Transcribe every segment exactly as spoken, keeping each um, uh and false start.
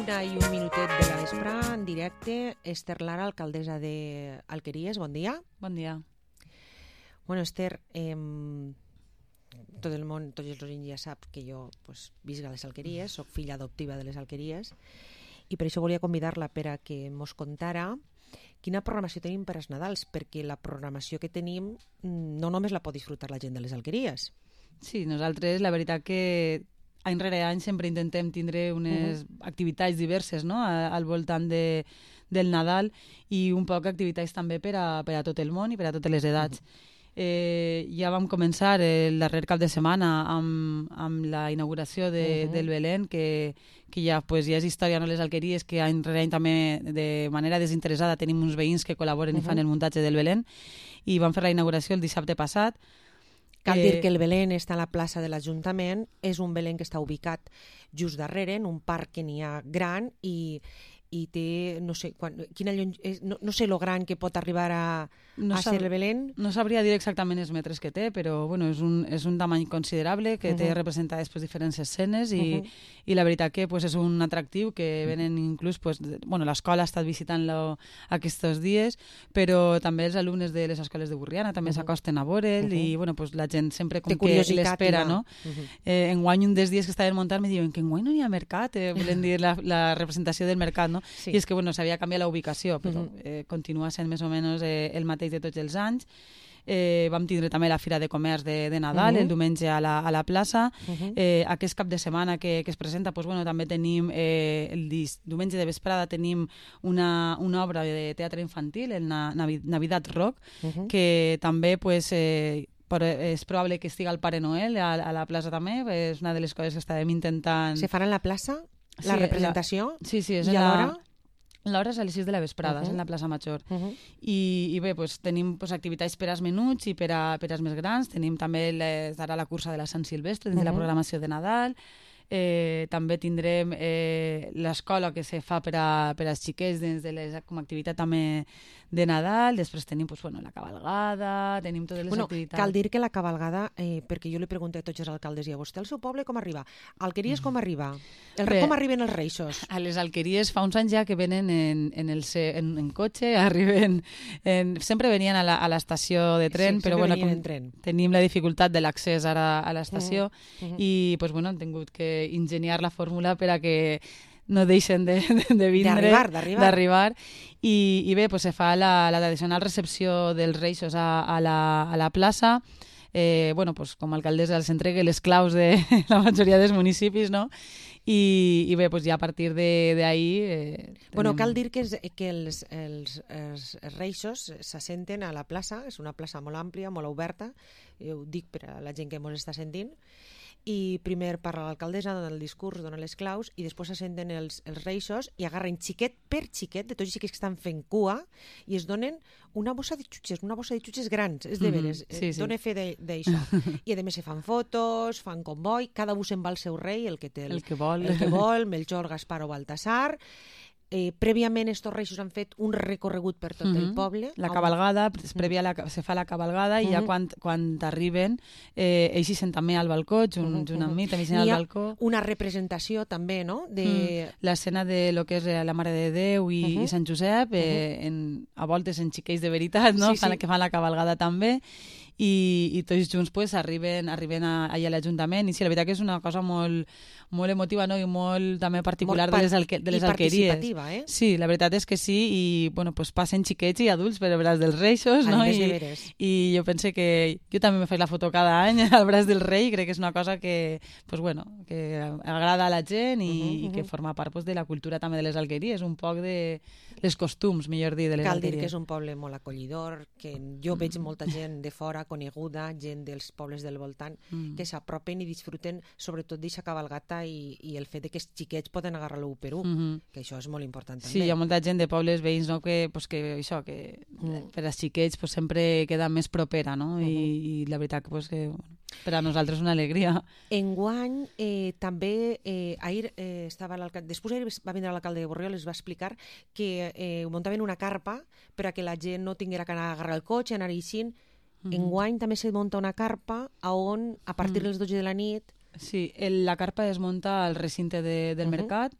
una i un minutet de la vespre, en directe. Esther Lara, alcaldessa d'Alqueries, bon dia. Bon dia. Bueno, Esther, eh, tot el món, tots els oients ja sap que jo pues, visc a les Alqueries, soc filla adoptiva de les Alqueries, i per això volia convidar-la per a que mos contara quina programació tenim per als Nadals, perquè la programació que tenim no només la pot disfrutar la gent de les Alqueries. Sí, nosaltres la veritat que any rere any sempre intentem tindre unes uh-huh. activitats diverses, no?, al voltant de, del Nadal, i un poc activitats també per a, per a tot el món i per a totes les edats. Uh-huh. Eh, ja vam començar el darrer cap de setmana amb, amb la inauguració de, uh-huh. del Belén, que, que ja, pues, ja és història, no, les Alqueries, que any rere any també de manera desinteressada tenim uns veïns que col·laboren uh-huh. i fan el muntatge del Belén, i vam fer la inauguració el dissabte passat. Cal dir que el Belén està a la plaça de l'Ajuntament, és un Belén que està ubicat just darrere, en un parc que n'hi ha gran, i, i té, no sé, quan, quina llon... no, no sé lo gran que pot arribar a, no a ser el Belén. No sabria dir exactament els metres que té, però bueno, és, un, és un tamany considerable que uh-huh. té representades pues, diferents escenes, i, uh-huh. i la veritat que pues, és un atractiu que venen inclús, pues, bueno, l'escola ha estat visitant-lo aquests dies, però també els alumnes de les escoles de Burriana també uh-huh. s'acosten a veure'l, uh-huh. i bueno, pues, la gent sempre com que l'espera, no? Uh-huh. Eh, enguany, un dels dies que estaven muntant, me diuen que enguany no hi ha mercat, eh, volen dir la, la representació del mercat, no? Sí. I és que bueno, s'havia canviat la ubicació, però uh-huh. eh, continua sent més o menys eh, el mateix de tots els anys. Eh, vam tindre també la Fira de Comerç de, de Nadal, uh-huh. el diumenge a la, a la plaça. Uh-huh. Eh, aquest cap de setmana que, que es presenta, pues, bueno, també tenim eh, el dis, diumenge de vesprada tenim una, una obra de teatre infantil, el Na, Navidad Rock, uh-huh. que també pues, eh, però és probable que estigui el Pare Noel a, a la plaça també, és una de les coses que estàvem intentant... Se farà en la plaça? La sí, representació? La... Sí, sí, és I a l'hora? L'hora és a les sis de la vesprada, uh-huh. és en la plaça Major. Uh-huh. I, i bé, pues, tenim pues, activitats per als menuts i per, a, per als més grans. Tenim també les, ara la cursa de la Sant Silvestre, dins uh-huh. de la programació de Nadal. Eh, també tindrem eh, l'escola que se fa per, a, per als xiquets dins de les, com a activitat també de Nadal. Després tenim pues, bueno, la cabalgada, tenim totes les bueno, activitats. Cal dir que la cabalgada, eh, perquè jo li pregunto a tots els alcaldes, i a vostè, al seu poble, com arriba? Alqueries com arriba? El, Bé, com arriben els reixos? A les Alqueries fa uns anys ja que venen en, en, el, en, en cotxe, arriben... En, sempre venien a l'estació de tren, sí, però bueno, com tren. tenim la dificultat de l'accés ara a l'estació, uh-huh. i pues, bueno, han tingut que ingeniar la fórmula per a que no deixen de, de, de vindre, d'arribar. I, I bé, pues, se fa la, la tradicional recepció dels Reixos a, a, la, a la plaça. Eh, bueno, pues, com a alcaldessa els entregue les claus de la majoria dels municipis, no? I, i bé, pues, ja a partir d'ahir... Eh, tenim... Bueno, cal dir que, és, que els, els, els Reixos s'assenten a la plaça, és una plaça molt àmplia, molt oberta, jo ho dic per a la gent que ens està sentint, i primer parla l'alcaldessa, dona el discurs, dona les claus, i després s'assenten els, els Reixos i agarren xiquet per xiquet de tots els xiquets que estan fent cua i es donen una bossa de xutxes, una bossa de xutxes grans, és de veres, mm-hmm. sí, sí. Dona fe d'això. I a més se fan fotos, fan comboi, cada un se'n va al seu rei, el que té el, el que vol, el que vol Melchor, Gaspar o Baltasar. Eh, prèviament estos Reixos han fet un recorregut per tot mm-hmm. el poble. La cabalgada, mm-hmm. prèvia la, se fa la cabalgada, mm-hmm. i ja quan, quan arriben eh, ells hi sent també al balcó, junt, mm-hmm. junt amb mi, també hi sent al balcó. Una representació també, no? De... Mm. L'escena de lo que és la Mare de Déu i, mm-hmm. i Sant Josep, eh, mm-hmm. en, a voltes en xiquets de veritat, no? Sí, fan, sí. Que fan la cabalgada també. I, i tots junts pues, arriben, arriben a, allà a l'Ajuntament, i sí, la veritat que és una cosa molt, molt emotiva, no? I molt també particular molt de les, alque, de les i alqueries. Participativa, eh? Sí, la veritat és que sí, i bueno, pues, passen xiquets i adults per al braç dels Reixos, no? I, i jo pense que jo també me faig la foto cada any al braç del rei, crec que és una cosa que, pues, bueno, que agrada a la gent i, uh-huh, i que forma part pues, de la cultura també de les alqueries, un poc de les costums, millor dir, de les Cal alqueries. dir que és un poble molt acollidor, que jo mm. veig molta gent de fora coneguda, gent dels pobles del voltant, mm. que s'apropen i disfruten sobretot d'aquesta cabalgata i, i el fet de que els xiquets poden agarrar-lo per un, mm-hmm. que això és molt important també. Sí, hi ha molta gent de pobles veïns, no? que, pues, que, això, que mm. per als xiquets pues, sempre queda més propera, no? Mm-hmm. I, i la veritat que, pues, que bueno, per a nosaltres és una alegria. Enguany eh, també, eh, ahir eh, estava l'alcalde, després ahir va vindre l'alcalde de Borriol i es va explicar que eh, muntaven una carpa per a que la gent no tinguera que anar a agarrar el cotxe, anar eixint. Mm-hmm. Enguany també se munta una carpa a on, a partir mm. de les dotze de la nit... Sí, el, la carpa es munta al recinte de, del mm-hmm. mercat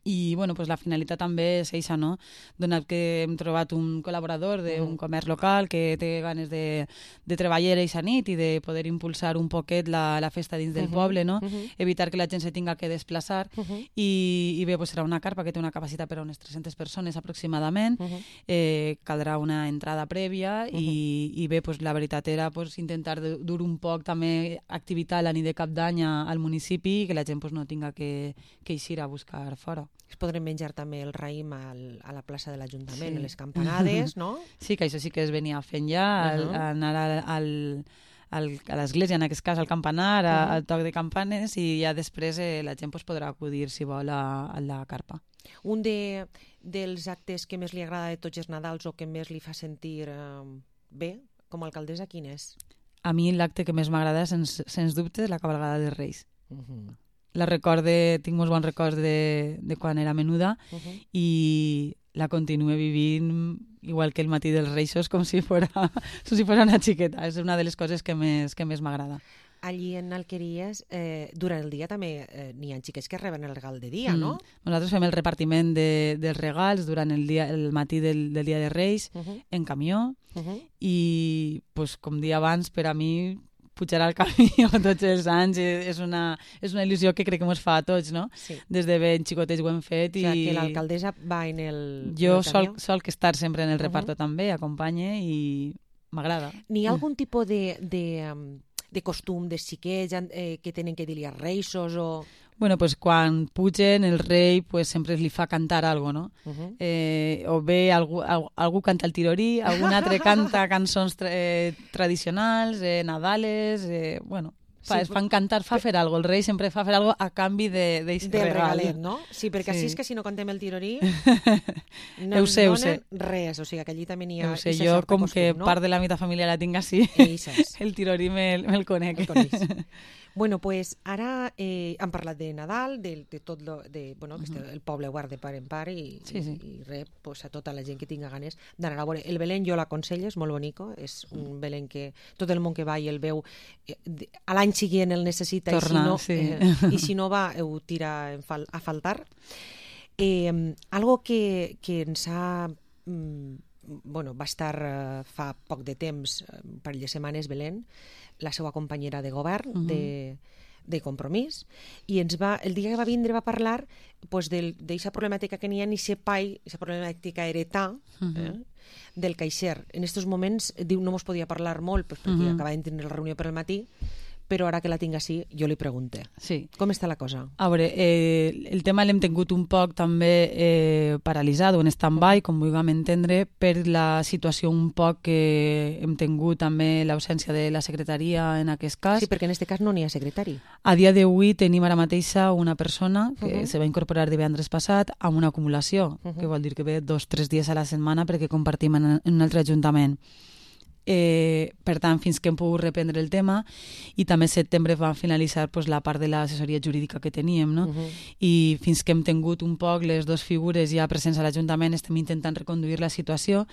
I bueno, pues la finalitat també és eixa, no? Donat que hem trobat un col·laborador d'un comerç local que té ganes de, de treballar eixa nit i de poder impulsar un poquet la, la festa dins del uh -huh. poble, no? Uh -huh. Evitar que la gent se tinga que desplaçar uh -huh. i, i bé, pues serà una carpa que té una capacitat per a unes tres-centes persones aproximadament. Uh -huh. eh, caldrà una entrada prèvia uh -huh. i, i bé, pues la veritat era pues, intentar dur un poc també activitat la nit de cap d'any al municipi i que la gent pues, no tinga que, que eixir a buscar fora. Es podrem menjar també el raïm al, a la plaça de l'Ajuntament, sí. a les campanades, no? Sí, que això sí que es venia fent ja, al, uh -huh. anar al, al, al, a l'església, en aquest cas al campanar, a, uh -huh. al toc de campanes, i ja després eh, la gent pues, podrà acudir, si vol, a, a la carpa. Un de, dels actes que més li agrada de tots els Nadals o que més li fa sentir eh, bé, com a alcaldessa, quin és? A mi l'acte que més m'agrada, sens, sens dubte, és la cabalgada dels Reis. Uh -huh. La recorde, tinc molts bons records de, de quan era menuda uh -huh. i la continuo vivint igual que el matí dels Reixos, com si fora, com si fora una xiqueta. És una de les coses que més, que més m'agrada. Allí en Alqueries, eh, durant el dia també eh, n'hi ha xiquets que reben el regal de dia, mm. no? Nosaltres fem el repartiment de, dels regals durant el, dia, el matí del, del dia de Reis uh -huh. en camió uh -huh. i, pues, com dia abans, per a mi pujar al camió tots els anys és una, és una il·lusió que crec que ens fa a tots, no? Sí. Des de ben xicotets ho hem fet. O sigui, i... que l'alcaldessa va en el Jo en el sol, sol que estar sempre en el reparto uh -huh. també, acompanye i m'agrada. N'hi ha algun tipus de... de um... de costum de xiquets eh, que tenen que dir-li a reixos o... Bueno, pues quan pugen el rei pues sempre li fa cantar algo, no? Uh -huh. eh, o bé algú, algú canta el tirorí, algun altre canta cançons tra eh, tradicionals, eh, nadales, eh, bueno... Fa, sí, fan cantar, fa fer algo. El rei sempre fa fer algo a canvi de, de del regal. regalet, no? Sí, perquè sí. Així és que si no contem el tirorí no ens donen sé. res. O sigui, que allí també n'hi ha... Ho sé, jo com costum, que no? Part de la meva família la tinc així, el tirorí me'l me conec. El bueno, pues ara eh, hem parlat de Nadal, de, de tot lo, de, bueno, que uh -huh. el poble guarda par en par i, sí, sí. i, i res, pues, a tota la gent que tinga ganes d'anar a veure. El Belén jo l'aconsello, és molt bonico, és un Belén que tot el món que va i el veu eh, a l'any siguient el necessita Tornar, i, si no, sí. eh, i si no va ho tira en fal a faltar. Eh, algo que, que ens ha... Mm, bueno, va estar uh, fa poc de temps, un parell de setmanes, Belén, la seva companyera de govern, uh -huh. de, de Compromís, i ens va, el dia que va vindre va parlar pues, d'aquesta problemàtica que n'hi ha en aquest pai, aquesta problemàtica heretà, uh -huh. eh, del caixer. En aquests moments, diu, no mos podia parlar molt pues, perquè uh -huh. acabàvem de tenir la reunió per al matí, però ara que la tinc així, jo li pregunte. Sí. Com està la cosa? A veure, eh, el tema l'hem tingut un poc també eh, paralitzat o en stand-by, com vulguem entendre, per la situació un poc que hem tingut també l'ausència de la secretaria en aquest cas. Sí, perquè en aquest cas no n'hi ha secretari. A dia d'avui tenim ara mateixa una persona que uh -huh. se va incorporar divendres passat amb una acumulació, uh -huh. que vol dir que ve dos o tres dies a la setmana perquè compartim en, en un altre ajuntament. Eh, per tant, fins que hem pogut reprendre el tema, i també a setembre va finalitzar pues, la part de l'assessoria jurídica que teníem, no? Uh-huh. I fins que hem tingut un poc les dues figures ja presents a l'Ajuntament estem intentant reconduir la situació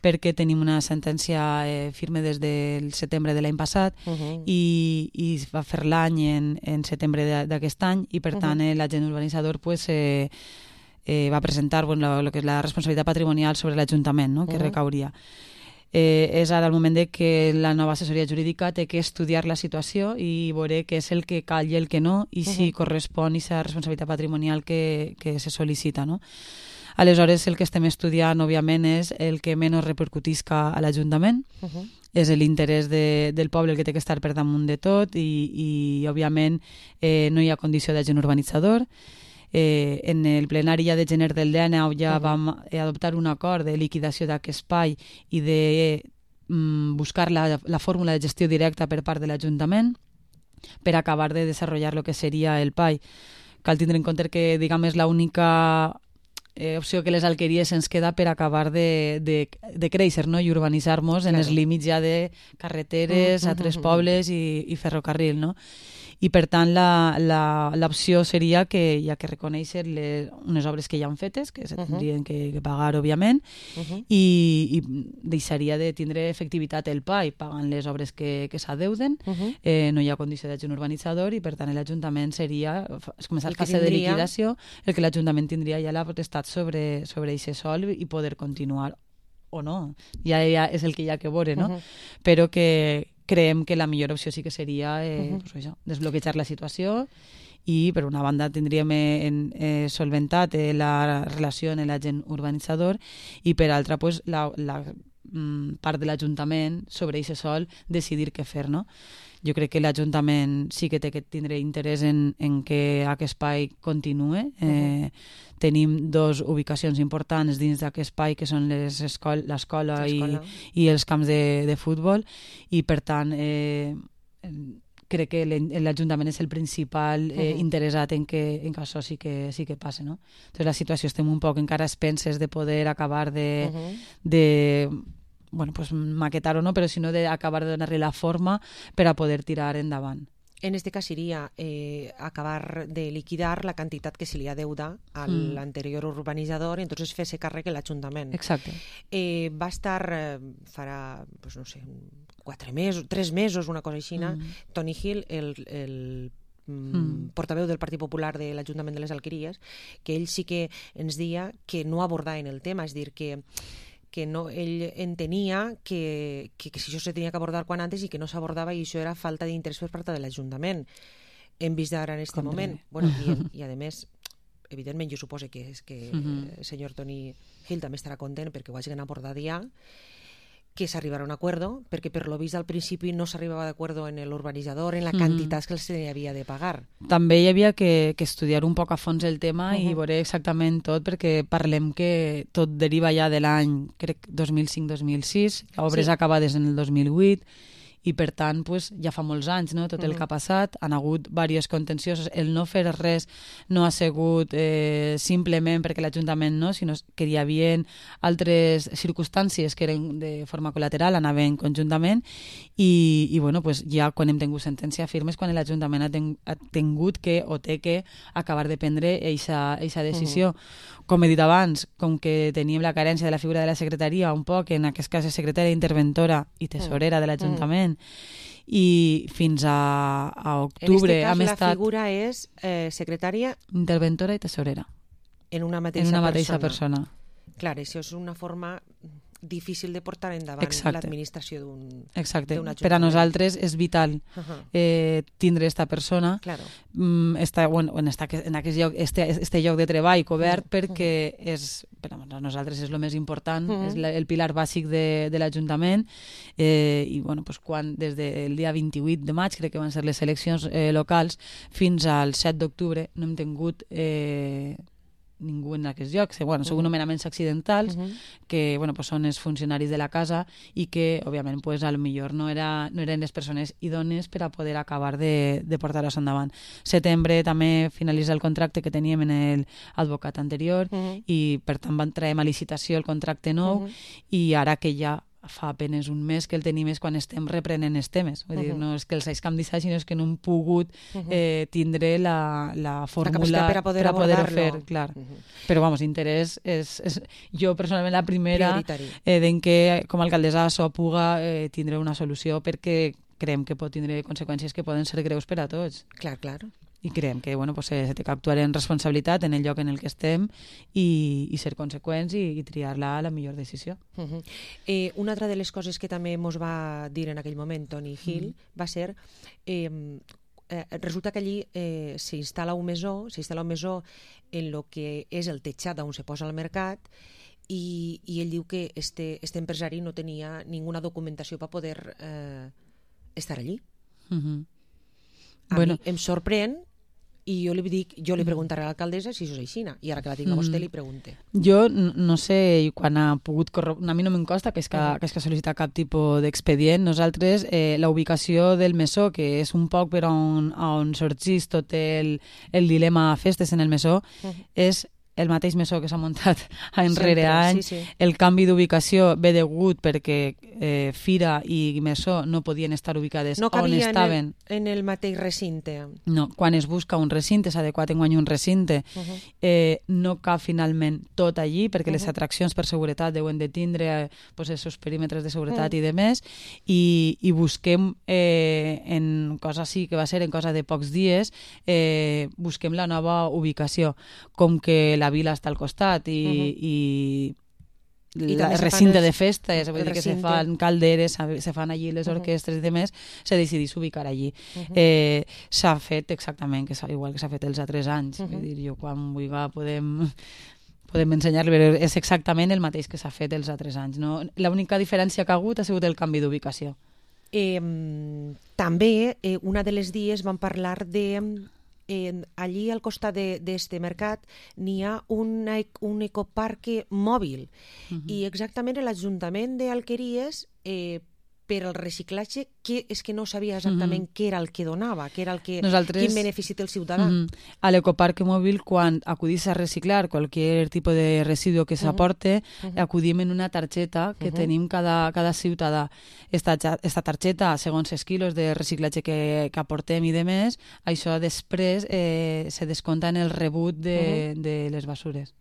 perquè tenim una sentència eh, firme des del setembre de l'any passat uh-huh. i, i es va fer l'any en, en setembre d'aquest any i per tant uh-huh. l'agent urbanitzador pues, eh, eh, va presentar bueno, lo, lo que és la responsabilitat patrimonial sobre l'Ajuntament, no? Que uh-huh. recauria. Eh, és ara el moment de que la nova assessoria jurídica té que estudiar la situació i veure què és el que cal i el que no i si uh-huh. correspon aquesta responsabilitat patrimonial que, que se sol·licita, no? Aleshores, el que estem estudiant, òbviament, és el que menys repercutisca a l'Ajuntament, uh-huh. és l'interès de, del poble el que té que estar per damunt de tot i, i òbviament, eh, no hi ha condició d'agent urbanitzador. Eh, en el plenari ja de gener del D N A ja uh-huh. vam adoptar un acord de liquidació d'aquest espai i de mm, buscar la, la fórmula de gestió directa per part de l'Ajuntament per acabar de desenvolupar el que seria el P A I. Cal tindre en compte que, diguem, és l'única eh, opció que les alqueries ens queda per acabar de, de, de créixer, no? I urbanitzar-nos claro. en els límits ja de carreteres, uh-huh. a tres pobles i, i ferrocarril, no? i per tant l'opció seria que hi ha que reconèixer les, unes obres que ja han fetes, que se tindrien uh -huh. que, que pagar, òbviament, uh -huh. i, i deixaria de tindre efectivitat el P A I pagant les obres que, que s'adeuden, uh -huh. eh, no hi ha condició d'adjunt urbanitzador i per tant l'Ajuntament seria, es comença la fase tindria... de liquidació, el que l'Ajuntament tindria ja la potestat sobre sobre aquest sòl i poder continuar o no, ja, ja és el que hi ha que veure, no? Uh -huh. Però que creiem que la millor opció sí que seria eh, uh -huh. pues això, desbloquejar la situació i per una banda tindríem en, eh, solventat eh, la relació en l'agent urbanitzador i per altra pues, la, la mm, part de l'Ajuntament sobre aquest sòl decidir què fer, no? Jo crec que l'Ajuntament sí que té que tindre interès en, en que aquest espai continue. Eh, uh-huh. Tenim dos ubicacions importants dins d'aquest espai, que són l'escola i, i els camps de, de futbol, i per tant eh, crec que l'Ajuntament és el principal eh, uh-huh. interessat en que, en que això sí que, sí que passe, no? Entonces la situació estem un poc encara a expenses de poder acabar de... Uh-huh. de bueno, pues maquetar o no, però si no d'acabar de donar-li la forma per a poder tirar endavant. En este cas seria eh, acabar de liquidar la quantitat que se li adeuda a mm. l'anterior urbanitzador i entonces fer-se càrrec l'Ajuntament. Exacte. Eh, va estar, eh, farà, pues no sé, quatre mesos, tres mesos, una cosa així, mm. Toni Gil, el, el Mm. portaveu del Partit Popular de l'Ajuntament de les Alqueries, que ell sí que ens deia que no abordaven el tema, és dir, que que no, ell entenia que, que, que si això se tenia que abordar quan antes i que no s'abordava i això era falta d'interès per part de l'Ajuntament. Hem vist ara en aquest moment. Bueno, i, i a més, evidentment, jo suposo que, és que uh-huh. el senyor Toni Gil també estarà content perquè ho hagin abordat ja, que s'arribarà a un acuerdo, perquè per lo vist al principi no s'arribava d'acuerdo en l'urbanitzador, en la quantitat mm. que se havia de pagar. També hi havia que, que estudiar un poc a fons el tema uh-huh. i veure exactament tot, perquè parlem que tot deriva ja de l'any, crec, dos mil cinc dos mil sis, obres sí. acabades en el dos mil vuit, i per tant pues, ja fa molts anys, no? Tot el que ha passat, han hagut diversos contenciosos, el no fer res no ha sigut eh, simplement perquè l'Ajuntament no, sinó que hi havia altres circumstàncies que eren de forma col·lateral, anaven conjuntament i, i bueno, pues, ja quan hem tingut sentència firmes quan l'Ajuntament ha, ten, ha tingut que o té que acabar de prendre aquesta decisió. Uh-huh. Com he dit abans, com que teníem la carència de la figura de la secretaria un poc, en aquest cas és secretària interventora i tesorera de l'Ajuntament, mm. i fins a, a octubre en hem este cas estat... la figura és eh, secretària... Interventora i tesorera. En una mateixa, en una mateixa persona. persona. Clar, això és una forma difícil de portar endavant l'administració d'un Exacte. Per a nosaltres és vital uh-huh. eh, tindre esta persona claro. mm, esta, bueno, en, esta, en aquest lloc, este, este lloc de treball cobert uh-huh. perquè és, per a nosaltres és el més important, uh-huh. és la, el pilar bàsic de, de l'Ajuntament eh, i bueno, pues, quan des del dia vint-i-vuit de maig, crec que van ser les eleccions eh, locals, fins al set d'octubre no hem tingut eh, ningú en aquests llocs. Bueno, són uh-huh. nomenaments accidentals uh-huh. que bueno, pues són els funcionaris de la casa i que, òbviament, pues, a lo millor no, era, no eren les persones idònies per a poder acabar de, de portar-los endavant. Setembre també finalitza el contracte que teníem en l'advocat anterior uh-huh. i, per tant, van traiem a licitació el contracte nou uh-huh. i ara que ja fa apenes un mes que el tenim és quan estem reprenent els temes. Vull uh-huh. dir, no és que els hagi canviat, sinó és que no hem pogut uh-huh. eh, tindre la, la fórmula la per a poder, per a poder fer. Clar. Uh-huh. Però, vamos, interès és, és jo personalment la primera eh, d'en que com a alcaldessa això puga eh, tindre una solució perquè creiem que pot tindre conseqüències que poden ser greus per a tots. Clar, clar. I creiem que bueno, pues, se té que actuar en responsabilitat en el lloc en el que estem i, i ser conseqüents i, i triar la, la millor decisió. Uh-huh. eh, una altra de les coses que també ens va dir en aquell moment Toni Gil uh-huh. va ser eh, eh, resulta que allí eh, s'instal·la un mesó s'instal·la un mesó en el que és el tejat on se posa al mercat i, i ell diu que este, este empresari no tenia ninguna documentació per poder eh, estar allí. Uh-huh. A bueno. mi em sorprèn i jo li dic, jo li preguntaré a l'alcaldessa si això és així, i ara que la tinc a vostè li pregunte. Jo no sé quan ha pogut corroborar, a mi no me'n costa que és que, uh-huh. que, és que sol·licitar cap tipus d'expedient. Nosaltres, eh, la ubicació del mesó, que és un poc per on, on sorgís tot el, el dilema festes en el mesó, uh-huh. és el mateix mesó que s'ha muntat enrere any. Sí, sí. El canvi d'ubicació ve degut perquè eh, Fira i Mesó no podien estar ubicades no on estaven. En en el mateix recinte? No, quan es busca un recinte, s'ha adequat en guany un recinte, uh -huh. eh, no cap finalment tot allí, perquè uh -huh. les atraccions per seguretat deuen de tindre eh, pues, els seus perímetres de seguretat uh -huh. i de més, i, i busquem eh, en cosa sí que va ser en cosa de pocs dies, eh, busquem la nova ubicació, com que la vila està al costat i, uh -huh. i el recinte els... de festes, vull dir que se fan calderes, se fan allí les orquestres uh -huh. i demés, se decidís ubicar allí. Uh -huh. eh, s'ha fet exactament, que igual que s'ha fet els altres anys. Uh -huh. Vull dir, jo quan vulgui podem, podem ensenyar-li, però és exactament el mateix que s'ha fet els altres anys. No? L'única diferència que ha hagut ha sigut el canvi d'ubicació. Eh, també, eh, una de les dies vam parlar de... Eh, allí al costat d'aquest mercat n'hi ha una, un ecoparque mòbil uh -huh. i exactament l'Ajuntament d'Alqueries eh, per al reciclatge, que és que no sabia exactament uh -huh. què era el que donava, què era el que, Nosaltres, quin benefici té el ciutadà. Uh -huh. A l'ecoparque mòbil, quan acudís a reciclar qualsevol tipus de residu que s'aporte, uh -huh. acudim en una targeta que uh -huh. tenim cada, cada ciutadà. Esta, esta targeta, segons els quilos de reciclatge que, que aportem i de més, això després eh, se descompta en el rebut de, uh -huh. de les basures,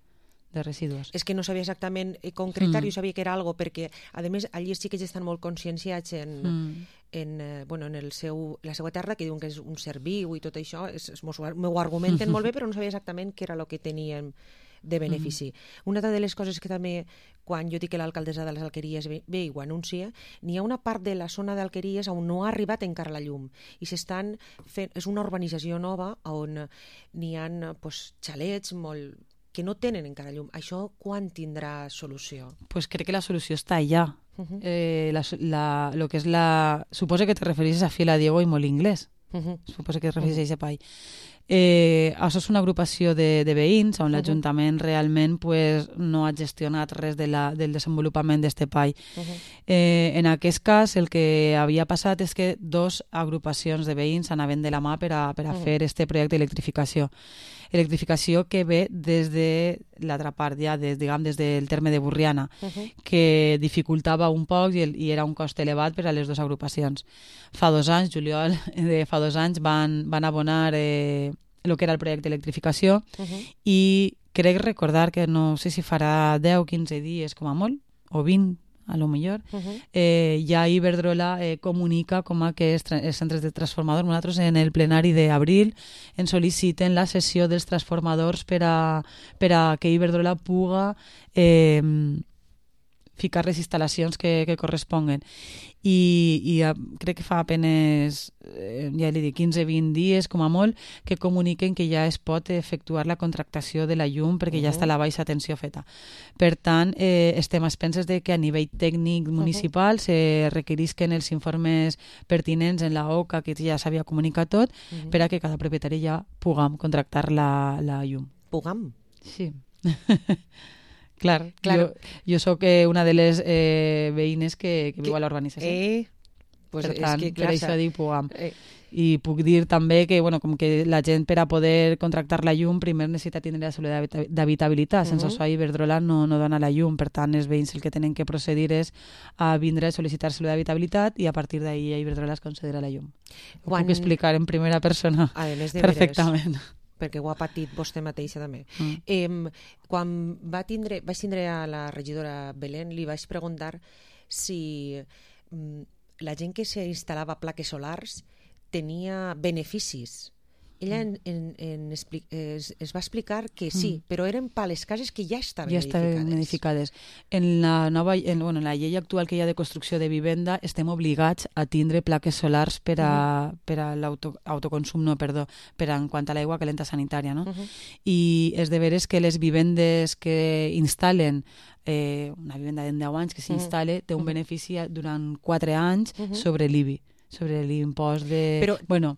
de residus. És que no sabia exactament concretar, mm. jo sabia que era algo, perquè, a més, allí sí que ja estan molt conscienciats en, mm. en, eh, bueno, en el seu, la seva terra, que diuen que és un ser viu i tot això, es, es, m'ho argumenten molt bé, però no sabia exactament què era el que tenien de benefici. Mm. Una de les coses que també, quan jo dic que l'alcaldessa de les Alqueries ve, ve i ho anuncia, n'hi ha una part de la zona d'Alqueries on no ha arribat encara la llum, i s'estan fent, és una urbanització nova on n'hi ha pues, xalets molt que no tenen encara llum. Això quan tindrà solució? Pues crec que la solució està allà. Uh -huh. eh, la, la, lo que és la... Suposo que te refereixes a Fila Diego i Molinglés. Uh -huh. Suposo que te refereixes uh -huh. a Pai. Eh, això és una agrupació de, de veïns on uh -huh. l'Ajuntament realment pues, no ha gestionat res de la, del desenvolupament d'este pai. Uh -huh. eh, en aquest cas el que havia passat és que dos agrupacions de veïns anaven de la mà per a, per a uh -huh. fer este projecte d'electrificació. Electrificació que ve des de l'altra part, ja des, diguem, des del terme de Burriana, uh -huh. que dificultava un poc i, el, i era un cost elevat per a les dues agrupacions. Fa dos anys, juliol de fa dos anys, van, van abonar eh, el que era el projecte d'electrificació uh -huh. i crec recordar que no sé si farà deu o quinze dies com a molt, o vint, a lo millor, uh -huh. eh, ja Iberdrola eh, comunica com a que els, els centres de transformadors, nosaltres en el plenari d'abril ens sol·liciten la cessió dels transformadors per a, per a que Iberdrola puga eh, ficar les instal·lacions que, que corresponguen. I, i uh, crec que fa apenes, eh, ja li dic, quinze o vint dies, com a molt, que comuniquen que ja es pot efectuar la contractació de la llum perquè uh -huh. ja està la baixa tensió feta. Per tant, eh, estem a expenses de que a nivell tècnic municipal uh -huh. se requerisquen els informes pertinents en la O C A, que ja s'havia comunicat tot, uh -huh. per a que cada propietari ja puguem contractar la, la llum. Puguem? Sí. Clar, claro. jo, jo sóc una de les eh, veïnes que, que viu a l'urbanització. Eh, pues per tant, és que, clar, per això dic puguem. Eh. I puc dir també que, bueno, com que la gent per a poder contractar la llum primer necessita tindre la solució d'habitabilitat. Sense uh -huh. això Iberdrola no, no dona la llum. Per tant, els veïns el que tenen que procedir és a vindre a sol·licitar solució d'habitabilitat i a partir d'ahir Iberdrola es considera la llum. Ho Quan... puc explicar en primera persona perfectament. Veres. Perquè ho ha patit vostè mateixa també. Mm. Eh, quan va tindre, vaig tindre a la regidora Belén, li vaig preguntar si mm, la gent que s'instal·lava plaques solars tenia beneficis. Ella en, en, en expli es, es va explicar que sí, mm. però eren per les cases que ja estaven ja edificades. estaven edificades. En la, nova, en, bueno, en la llei actual que hi ha de construcció de vivenda estem obligats a tindre plaques solars per a, mm. per a l'autoconsum, no, perdó, per a, en quant a l'aigua calenta sanitària, no? Uh -huh. I és de veres que les vivendes que instal·len eh, una vivenda de deu anys que s'instal·le uh -huh. té un benefici durant quatre anys uh -huh. sobre l'I B I, sobre l'impost de... Però... Bueno,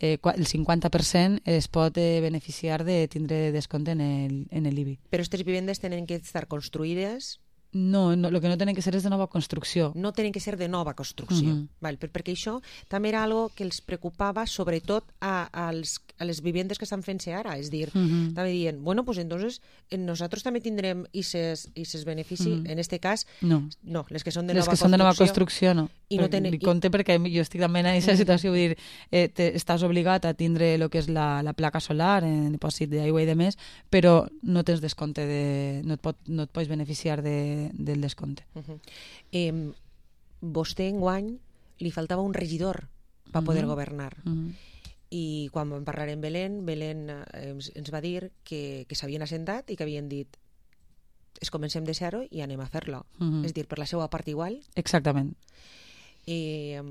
Eh, el cinquanta per cent es pot eh, beneficiar de tindre descompte en el, en l'I B I. Però aquestes vivendes tenen que estar construïdes No, no, el que no tenen que ser és de nova construcció. No tenen que ser de nova construcció. Uh-huh. Val, per, perquè això també era algo que els preocupava sobretot a, als, a les vivendes que estan fent-se ara. És dir, uh-huh. també dient, bueno, pues entonces nosaltres també tindrem ises, ises benefici. Uh-huh. En este cas, no. no, les que són de les nova que construcció. són de nova construcció, no. I no tenen... Li compte perquè jo estic també en aquesta situació, vull dir, eh, te, estàs obligat a tindre el que és la, la placa solar, en dipòsit d'aigua i de més, però no tens descompte, de, no, et pot, no et pots beneficiar de, del descompte. Uh-huh. eh, vostè enguany li faltava un regidor per poder uh-huh. governar. Uh-huh. I quan vam parlar amb Belén, Belén eh, ens, ens va dir que, que s'havien assentat i que havien dit es comencem de zero i anem a fer-lo. Uh-huh. És dir, per la seva part igual. Exactament. I, eh,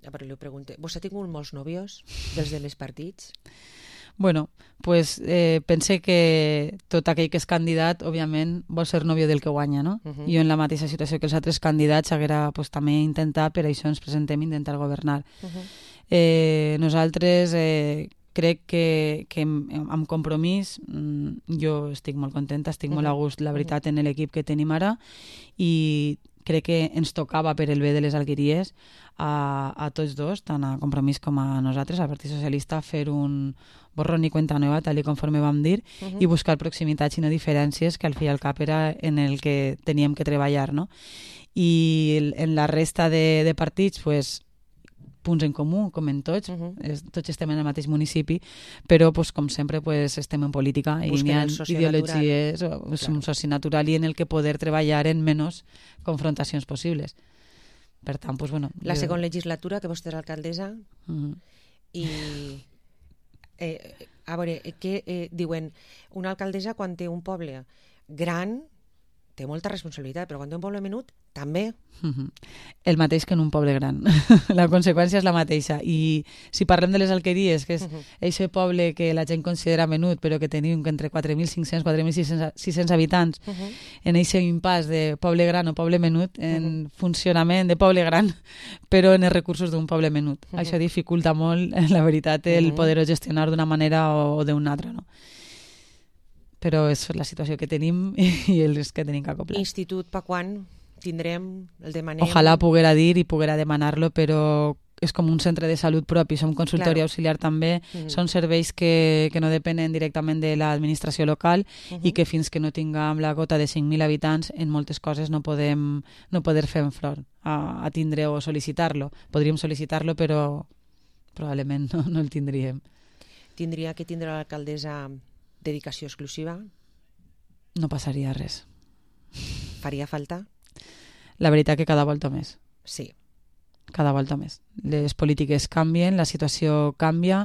a veure, li pregunto, vostè ha tingut molts nòvios dels demés partits? Bueno, pues eh, pense que tot aquell que és candidat, òbviament, vol ser nòvio del que guanya, no? Uh-huh. Jo en la mateixa situació que els altres candidats haguera pues, també intentat, per això ens presentem intentar governar. Uh-huh. Eh, nosaltres eh, crec que, que amb compromís jo estic molt contenta, estic uh-huh. molt a gust, la veritat, uh-huh. en l'equip que tenim ara, i crec que ens tocava per el bé de les Alqueries a, a tots dos, tant a Compromís com a nosaltres, al Partit Socialista, fer un borrón i cuenta nova, tal i conforme vam dir, uh-huh. i buscar proximitats i no diferències, que al fi i al cap era en el que teníem que treballar, no? I en la resta de, de partits, pues, punts en comú, com en tots, uh-huh. es, tots estem en el mateix municipi, però pues, com sempre pues, estem en política i busquen n'hi ha ideologies, natural. És un soci natural i en el que poder treballar en menys confrontacions possibles. Per tant, pues, bueno... La jo... segona legislatura, que vostè és alcaldessa, uh-huh. i eh, a veure, què eh, diuen, una alcaldessa quan té un poble gran té molta responsabilitat, però quan té un poble menut també. Uh-huh. El mateix que en un poble gran. La conseqüència és la mateixa. I si parlem de les Alqueries, que és uh-huh. eixe poble que la gent considera menut, però que tenim entre quatre mil cinc-cents i quatre mil sis-cents habitants, uh-huh. en eixe impàs de poble gran o poble menut, en uh-huh. funcionament de poble gran, però en els recursos d'un poble menut. Uh-huh. Això dificulta molt, la veritat, el uh-huh. poder-ho gestionar d'una manera o, o d'una altra, no? Però és la situació que tenim i els que tenim que acoplar. Institut, pa quan tindrem, el demanem? Ojalà poguera dir i poguera demanar-lo, però és com un centre de salut propi, som consultori claro. auxiliar també, uh-huh. són serveis que, que no depenen directament de l'administració local uh-huh. i que fins que no tinguem la gota de cinc mil habitants, en moltes coses no podem no poder fer en flor a, a tindre o sol·licitar-lo. Podríem sol·licitar-lo, però probablement no, no el tindríem. Tindria que tindre l'alcaldessa dedicació exclusiva? No passaria res. Faria falta? La veritat que cada volta més. Sí. Cada volta més. Les polítiques canvien, la situació canvia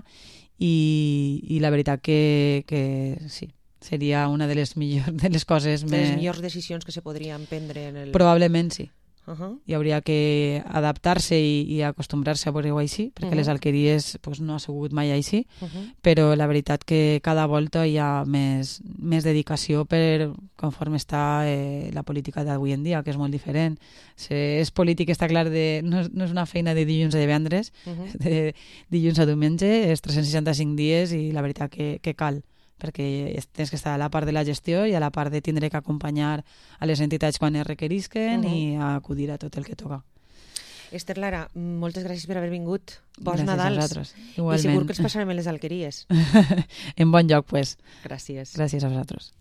i, i la veritat que, que sí, seria una de les millors de les coses de més... les millors decisions que se podrien prendre en el... Probablement sí. Uh-huh. I hauria que adaptar-se i, i acostumbrar-se a veure-ho així, perquè uh-huh. les Alqueries pues, no ha sigut mai així, uh-huh. però la veritat que cada volta hi ha més, més dedicació per conforme està eh, la política d'avui en dia, que és molt diferent. Se, és política, està clar, de, no, és, no és una feina de dilluns a divendres, uh-huh. de dilluns a diumenge, és tres-cents seixanta-cinc dies i la veritat que, que cal, perquè tens que estar a la part de la gestió i a la part de tindre que acompanyar a les entitats quan es requerisquen uh-huh. i a acudir a tot el que toca. Esther Lara, moltes gràcies per haver vingut. Bons gràcies Nadals. A vosaltres. Igualment. I segur que ens passarem a les Alqueries. En bon lloc, pues. Gràcies. Gràcies a vosaltres.